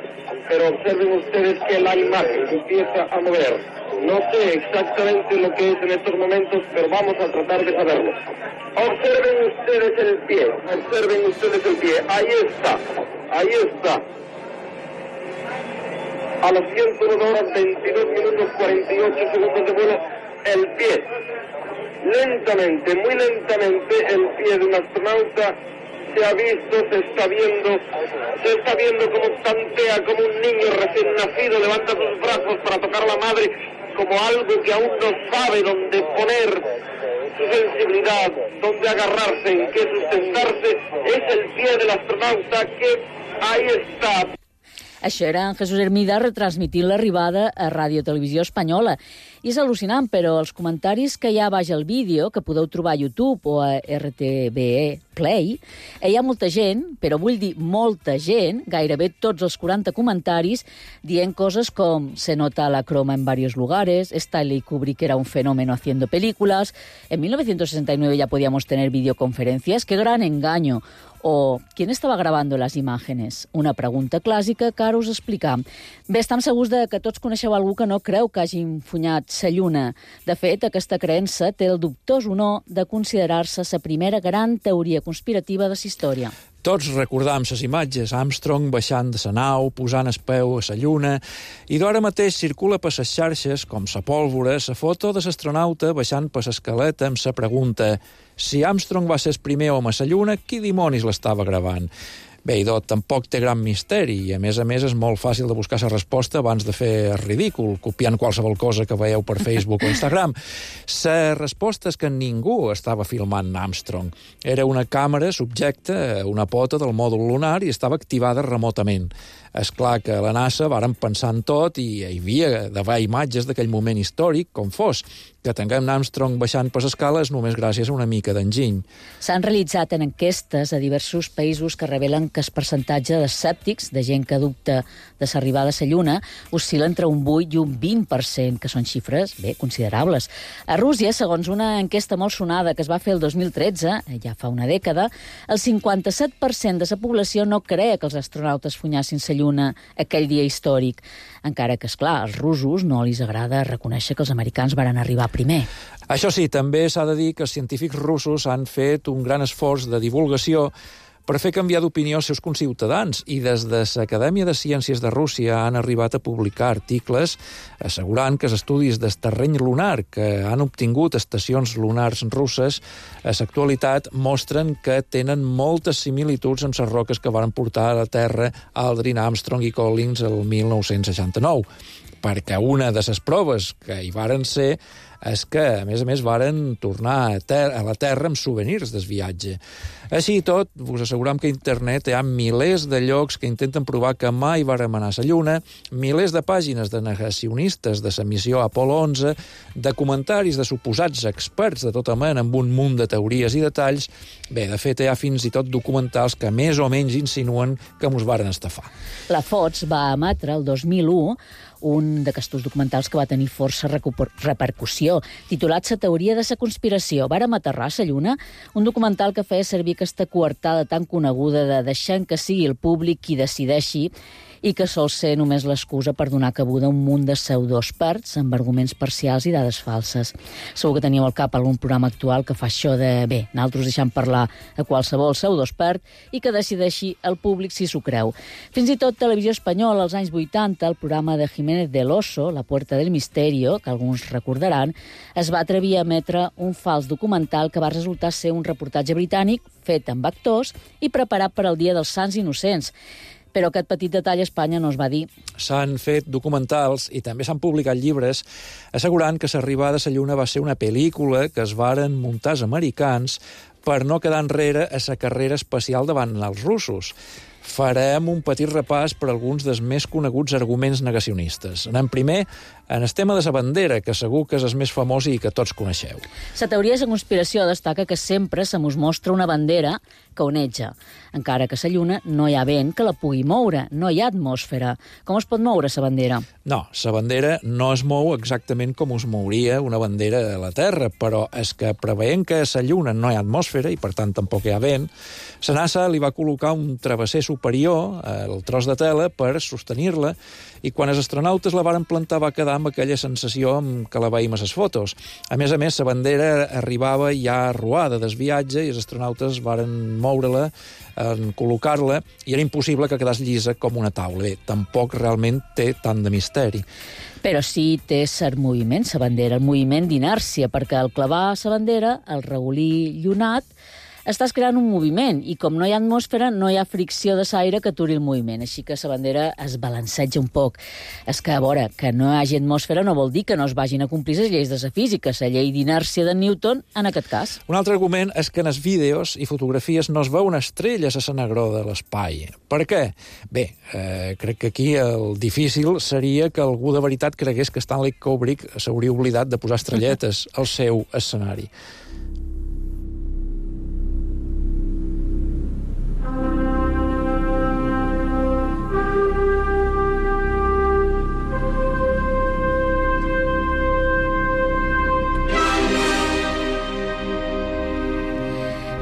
Pero observen ustedes que la imagen empieza a mover. No sé exactamente lo que es en estos momentos, pero vamos a tratar de saberlo. Observen ustedes el pie, ahí está. A las 101 horas 22 minutos 48 segundos de vuelo, el pie. Lentamente, muy lentamente, el pie de un astronauta se ha visto, se está viendo como tantea, como un niño recién nacido levanta sus brazos para tocar a la madre, como algo que aún no sabe dónde poner su sensibilidad, dónde agarrarse, en qué sustentarse. Es el pie del astronauta que ahí está. Això era en Jesús Hermida retransmitint l'arribada a Ràdio Televisió Espanyola. I és al·lucinant, però els comentaris que hi ha baix el vídeo, que podeu trobar a YouTube o a RTVE Play, hi ha molta gent, però vull dir molta gent, gairebé tots els 40 comentaris, dient coses com se nota la croma en varios lugares, Stanley Kubrick era un fenómeno haciendo películas, en 1969 ya podíamos tener videoconferencias, qué gran engaño, o ¿quién estava grabando les imágenes? Una pregunta clàssica que ara us explicam. Bé, estem segurs que tots coneixeu algú que no creu que hagin funyat sa Lluna. De fet, aquesta creença té el dubtós honor de considerar-se la primera gran teoria conspirativa de la història. Tots recordam les imatges, Armstrong baixant de la nau, posant el peu a la Lluna, i d'ara mateix circula per les xarxes, com la pólvora, la foto de l'astronauta baixant per l'escaleta amb la pregunta: si Armstrong va ser el primer home a la Lluna, qui dimonis l'estava gravant? Bé, idò, tampoc té gran misteri i, a més, és molt fàcil de buscar la resposta abans de fer el ridícul, copiant qualsevol cosa que veieu per Facebook o Instagram. La resposta és que ningú estava filmant Armstrong. Era una càmera subjecta a una pota del mòdul lunar i estava activada remotament. És clar que a la NASA varen pensar en tot i hi havia d'haver imatges d'aquell moment històric, com fos. Que tinguem Armstrong baixant per l'escala és només gràcies a una mica d'enginy. S'han realitzat en enquestes a diversos països que revelen que el percentatge d'escèptics, de gent que dubta de l'arribada a la Lluna, oscil·la entre un 8 i un 20%, que són xifres, bé, considerables. A Rússia, segons una enquesta molt sonada que es va fer el 2013, ja fa una dècada, el 57% de la població no cree que els astronautes funyassin la Lluna aquell dia històric. Encara que, esclar, als russos no els agrada reconèixer que els americans varen arribar primer. Això sí, també s'ha de dir que els científics russos han fet un gran esforç de divulgació per fer canviar d'opinió els seus conciutadans i des de l'Acadèmia de Ciències de Rússia han arribat a publicar articles assegurant que els estudis del terreny lunar que han obtingut estacions lunars russes a l'actualitat mostren que tenen moltes similituds amb les roques que van portar a la Terra Aldrin, Armstrong i Collins el 1969, perquè una de les proves que hi varen ser és que, a més, varen tornar a la Terra amb souvenirs del viatge. Així i tot, us asseguram que a internet hi ha milers de llocs que intenten provar que mai vàrem anar a la Lluna, milers de pàgines de negacionistes de la missió Apolo 11, de comentaris de suposats experts de tota mena amb un munt de teories i detalls. Bé, de fet, hi ha fins i tot documentals que més o menys insinuen que mos varen estafar. La Fox va emetre el 2001 un d'aquests documentals que va tenir força repercussió, titulat La teoria de la conspiració. Vàrem aterrar a la Lluna, un documental que feia servir aquesta coartada tan coneguda de deixant que sigui el públic qui decideixi i que sol ser només l'excusa per donar cabuda a un munt de pseudoexperts amb arguments parcials i dades falses. Segur que teníeu al cap algun programa actual que fa això de, bé, nosaltres deixem parlar a qualsevol pseudoexpert i que decideixi el públic si s'ho creu. Fins i tot Televisió Espanyola, als anys 80, el programa de Jiménez del Oso, La Puerta del Misterio, que alguns recordaran, es va atrevir a emetre un fals documental que va resultar ser un reportatge britànic fet amb actors i preparat per al Dia dels Sants Innocents. Però aquest petit detall a Espanya no es va dir. S'han fet documentals i també s'han publicat llibres assegurant que S'arribada a la Lluna va ser una pel·lícula que es varen muntar els americans per no quedar enrere a la carrera espacial davant els russos. Farem un petit repàs per alguns dels més coneguts arguments negacionistes. Anem primer en el tema de la bandera, que segur que és el més famós i que tots coneixeu. La teoria de la conspiració destaca que sempre se mos mostra una bandera que oneja. Encara que a la Lluna no hi ha vent que la pugui moure, no hi ha atmosfera. Com es pot moure la bandera? No, la bandera no es mou exactament com es mouria una bandera a la Terra, però és que preveient que a la Lluna no hi ha atmosfera i per tant tampoc hi ha vent, la NASA li va col·locar un travesser superior al tros de tela per sostenir-la i quan els astronautes la varen plantar va quedar amb aquella sensació que la veiem a les fotos. A més, la bandera arribava ja arruada del viatge i els astronautes varen moure-la, col·locar-la, i era impossible que quedés llisa com una taula. Bé, tampoc realment té tant de misteri. Però sí té cert moviment, la bandera, el moviment d'inèrcia, perquè al clavar la bandera, el regolí llunat, estàs creant un moviment, i com no hi ha atmosfera, no hi ha fricció de l'aire que aturi el moviment, així que la bandera es balanceja un poc. És que, a veure, que no hi hagi atmosfera no vol dir que no es vagin a complir les lleis de la física, la llei d'inèrcia de Newton, en aquest cas. Un altre argument és que en els vídeos i fotografies no es veuen estrelles a la negror de l'espai. Per què? Bé, crec que aquí el difícil seria que algú de veritat cregués que Stanley Kubrick s'hauria oblidat de posar estrelletes al seu escenari.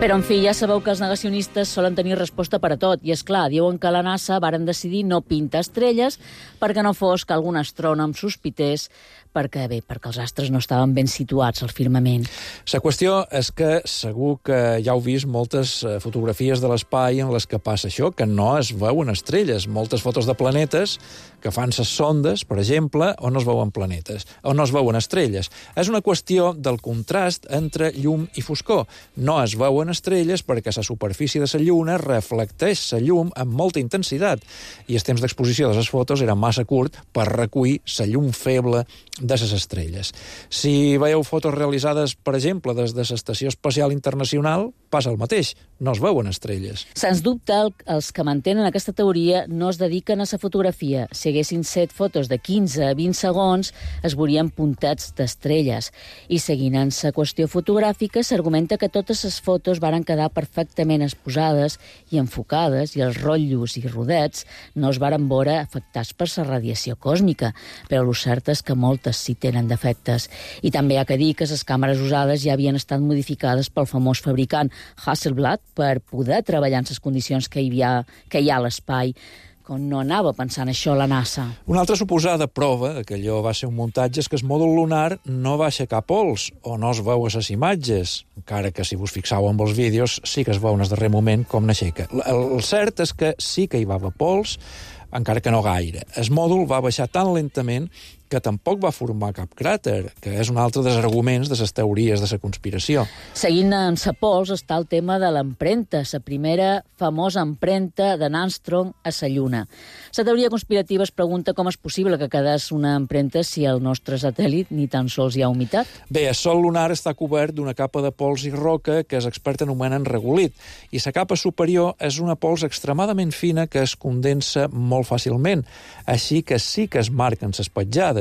Però, en fi, ja sabeu que els negacionistes solen tenir resposta per a tot. I, és clar, diuen que la NASA varen decidir no pintar estrelles perquè no fos que algun astrònom sospités perquè els astres no estaven ben situats al firmament. La qüestió és que segur que ja heu vist moltes fotografies de l'espai en les que passa això, que no es veuen estrelles. Moltes fotos de planetes que fan ses sondes, per exemple, on no es veuen planetes, on no es veuen estrelles. És una qüestió del contrast entre llum i foscor. No es veuen estrelles perquè la superfície de la Lluna reflecteix la llum amb molta intensitat i el temps d'exposició de les fotos era massa curt per recollir la llum feble de les estrelles. Si veieu fotos realitzades, per exemple, des de l'Estació Espacial Internacional, passa el mateix, no es veuen estrelles. Sens dubte, els que mantenen aquesta teoria no es dediquen a la fotografia. Si haguessin set fotos de 15 a 20 segons, es veurien puntets d'estrelles. I seguint en la qüestió fotogràfica, s'argumenta que totes les fotos varen quedar perfectament exposades i enfocades, i els rotllos i rodets no es varen veure afectats per la radiació còsmica, però el cert és que moltes sí tenen defectes. I també hi ha que dir que les càmeres usades ja havien estat modificades pel famós fabricant Hasselblad per poder treballar en les condicions que hi ha a l'espai. Com no anava pensant això la NASA. Una altra suposada prova que allò va ser un muntatge és que el mòdul lunar no va aixecar pols, o no es veu a les imatges, encara que si vos fixau en els vídeos sí que es veu en el darrer moment com n'aixeca. El cert és que sí que hi va haver pols, encara que no gaire. El mòdul va baixar tan lentament que tampoc va formar cap cràter, que és un altre dels arguments de les teories de la conspiració. Seguint en sa pols està el tema de l'empremta, la primera famosa empremta de Armstrong a la Lluna. La teoria conspirativa es pregunta com és possible que quedés una empremta si al nostre satèl·lit ni tan sols hi ha humitat. Bé, el sòl lunar està cobert d'una capa de pols i roca que els experts anomenen regolit, i la capa superior és una pols extremadament fina que es condensa molt fàcilment, així que sí que es marquen les petjades.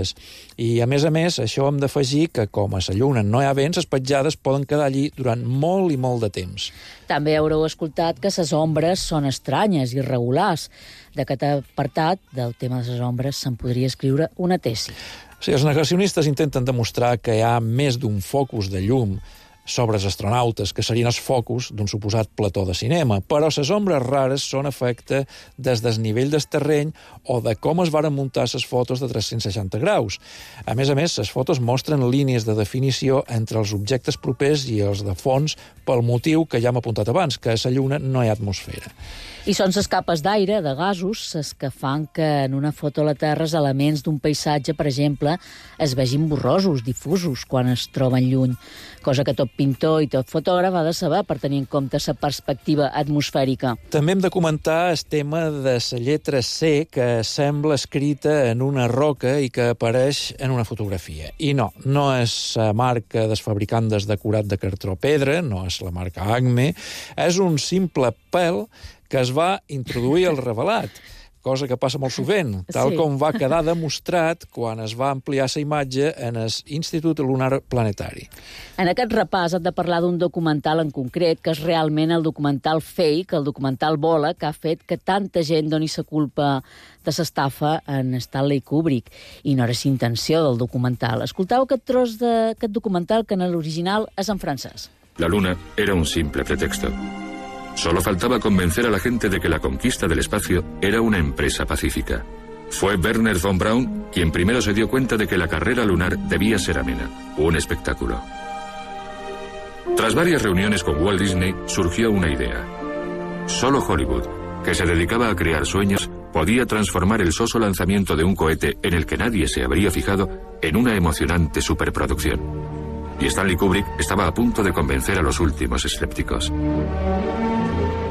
I, a més, això hem d'afegir que, com a la Lluna no hi ha vents, les petjades poden quedar allí durant molt i molt de temps. També haureu escoltat que les ombres són estranyes, irregulars. D'aquest apartat del tema de les ombres se'n podria escriure una tesi. Sí, els negacionistes intenten demostrar que hi ha més d'un focus de llum sobre els astronautes, que serien els focus d'un suposat plató de cinema. Però les ombres rares són efecte des del nivell del terreny o de com es varen muntar les fotos de 360 graus. A més, les fotos mostren línies de definició entre els objectes propers i els de fons pel motiu que ja hem apuntat abans, que a la Lluna no hi ha atmosfera. I són les capes d'aire, de gasos, les que fan que en una foto a la Terra els elements d'un paisatge, per exemple, es vegin borrosos, difusos, quan es troben lluny, cosa que tot pintor i tot fotògraf ha de saber per tenir en compte la perspectiva atmosfèrica. També hem de comentar el tema de la lletra C, que sembla escrita en una roca i que apareix en una fotografia. I no és la marca del fabricant del decorat de cartró pedra, no és la marca Acme, és un simple pèl que es va introduir al revelat, cosa que passa molt sovint, tal com va quedar demostrat quan es va ampliar la imatge en l'Institut Lunar Planetari. En aquest repàs hem de parlar d'un documental en concret, que és realment el documental Fake, el documental Bola, que ha fet que tanta gent doni la culpa de l'estafa en Stanley Kubrick. I no era la intenció del documental. Escolteu aquest tros d'aquest documental, que en l'original és en francès. La luna era un simple pretexto. Solo faltaba convencer a la gente de que la conquista del espacio era una empresa pacífica. Fue Wernher von Braun quien primero se dio cuenta de que la carrera lunar debía ser amena, un espectáculo. Tras varias reuniones con Walt Disney, surgió una idea. Solo Hollywood, que se dedicaba a crear sueños, podía transformar el soso lanzamiento de un cohete en el que nadie se habría fijado en una emocionante superproducción. Y Stanley Kubrick estaba a punto de convencer a los últimos escépticos.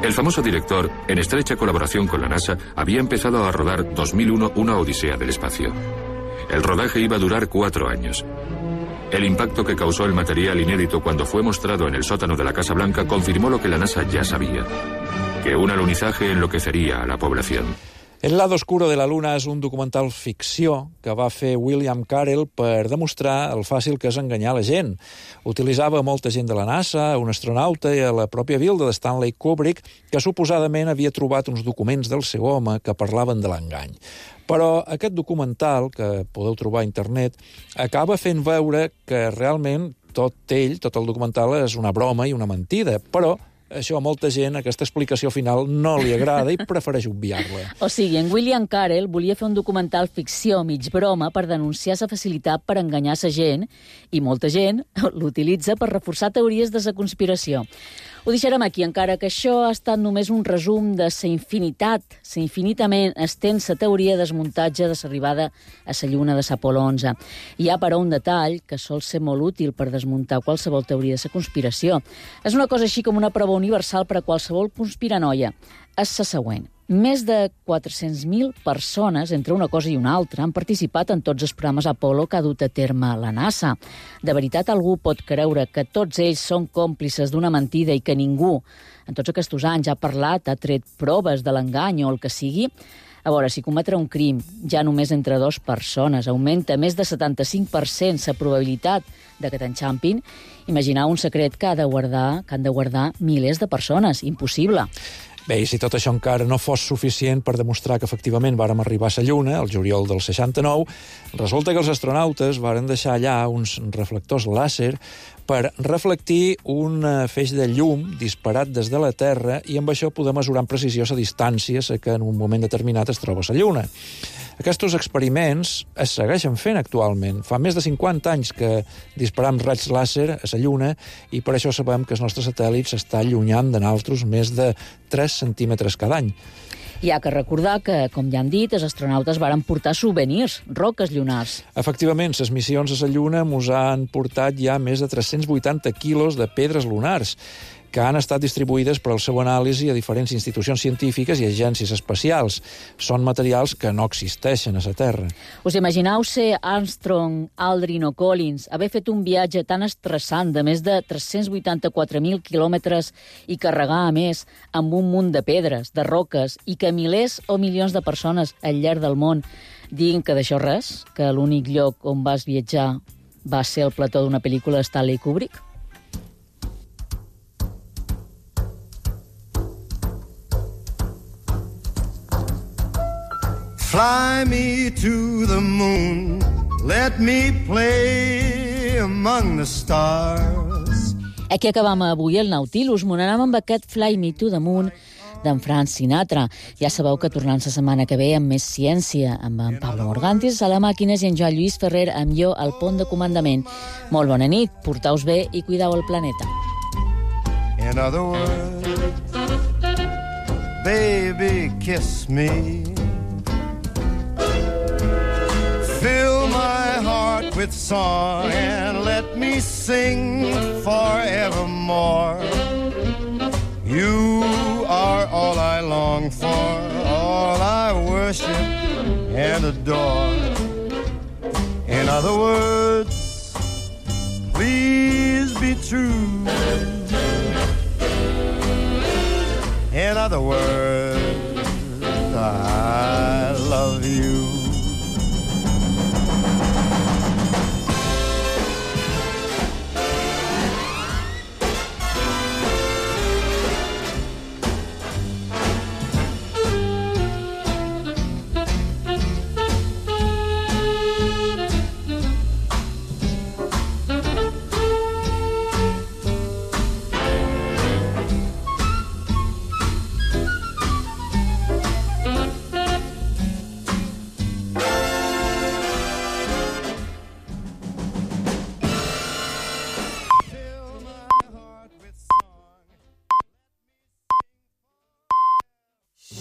El famoso director, en estrecha colaboración con la NASA, había empezado a rodar 2001 una odisea del espacio. El rodaje iba a durar 4 años. El impacto que causó el material inédito cuando fue mostrado en el sótano de la Casa Blanca confirmó lo que la NASA ya sabía, que un alunizaje enloquecería a la población. El lado oscuro de la Luna és un documental ficció que va fer William Carell per demostrar el fàcil que és enganyar la gent. Utilitzava molta gent de la NASA, un astronauta i a la pròpia vilda de Stanley Kubrick, que suposadament havia trobat uns documents del seu home que parlaven de l'engany. Però aquest documental, que podeu trobar a internet, acaba fent veure que realment tot el documental és una broma i una mentida, però això a molta gent, aquesta explicació final, no li agrada i prefereix obviar-la. O sigui, en William Carell volia fer un documental ficció mig broma per denunciar la facilitat per enganyar la gent, i molta gent l'utilitza per reforçar teories de la conspiració. Ho deixarem aquí, encara que això ha estat només un resum de la infinitament extensa teoria desmuntatge de l'arribada a la Lluna de l'Apol·lo 11. Hi ha, però, un detall que sol ser molt útil per desmuntar qualsevol teoria de la conspiració. És una cosa així com una prova universal per a qualsevol conspiranoia. És la següent. Més de 400.000 persones, entre una cosa i una altra, han participat en tots els programes Apollo que ha dut a terme la NASA. De veritat, algú pot creure que tots ells són còmplices d'una mentida i que ningú, en tots aquests anys, ha parlat, ha tret proves de l'engany o el que sigui? A veure, si cometre un crim ja només entre 2 persones augmenta més de 75% la probabilitat de que t'enxampin, imagineu un secret que han de guardar milers de persones. Impossible. Bé, i si tot això encara no fos suficient per demostrar que efectivament vàrem arribar a la Lluna, el juliol del 69, resulta que els astronautes varen deixar allà uns reflectors làser per reflectir un feix de llum disparat des de la Terra i amb això poder mesurar amb precisió la distància a que en un moment determinat es troba la Lluna. Aquests experiments es segueixen fent actualment. Fa més de 50 anys que disparam raigs làser a la Lluna i per això sabem que el nostre satèl·lit s'està allunyant de nosaltres més de 3 centímetres cada any. Hi ha que recordar que, com ja han dit, els astronautes varen portar souvenirs, roques lunars. Efectivament, les missions a la Lluna mos han portat ja més de 380 quilos de pedres lunars, que han estat distribuïdes per al seu anàlisi a diferents institucions científiques i agències espacials. Són materials que no existeixen a la Terra. Us imagineu ser Armstrong, Aldrin o Collins, haver fet un viatge tan estressant de més de 384.000 quilòmetres i carregar, a més, amb un munt de pedres, de roques, i que milers o milions de persones al llarg del món diguin que d'això res, que l'únic lloc on vas viatjar va ser el plató d'una pel·lícula de Stanley Kubrick? Fly me to the moon, let me play among the stars. Aquí acabam avui el Nautilus. M'ho anàvem amb aquest Fly Me to the Moon d'en Frank Sinatra. Ja sabeu que tornant la setmana que ve amb més ciència, amb en Pablo Morgantis a la màquines i en Joan Lluís Ferrer amb jo al pont de comandament. Molt bona nit, porteu-vos bé i cuideu el planeta. In other words, baby, kiss me. Fill my heart with song and let me sing forevermore. You are all I long for, all I worship and adore. In other words, please be true. In other words,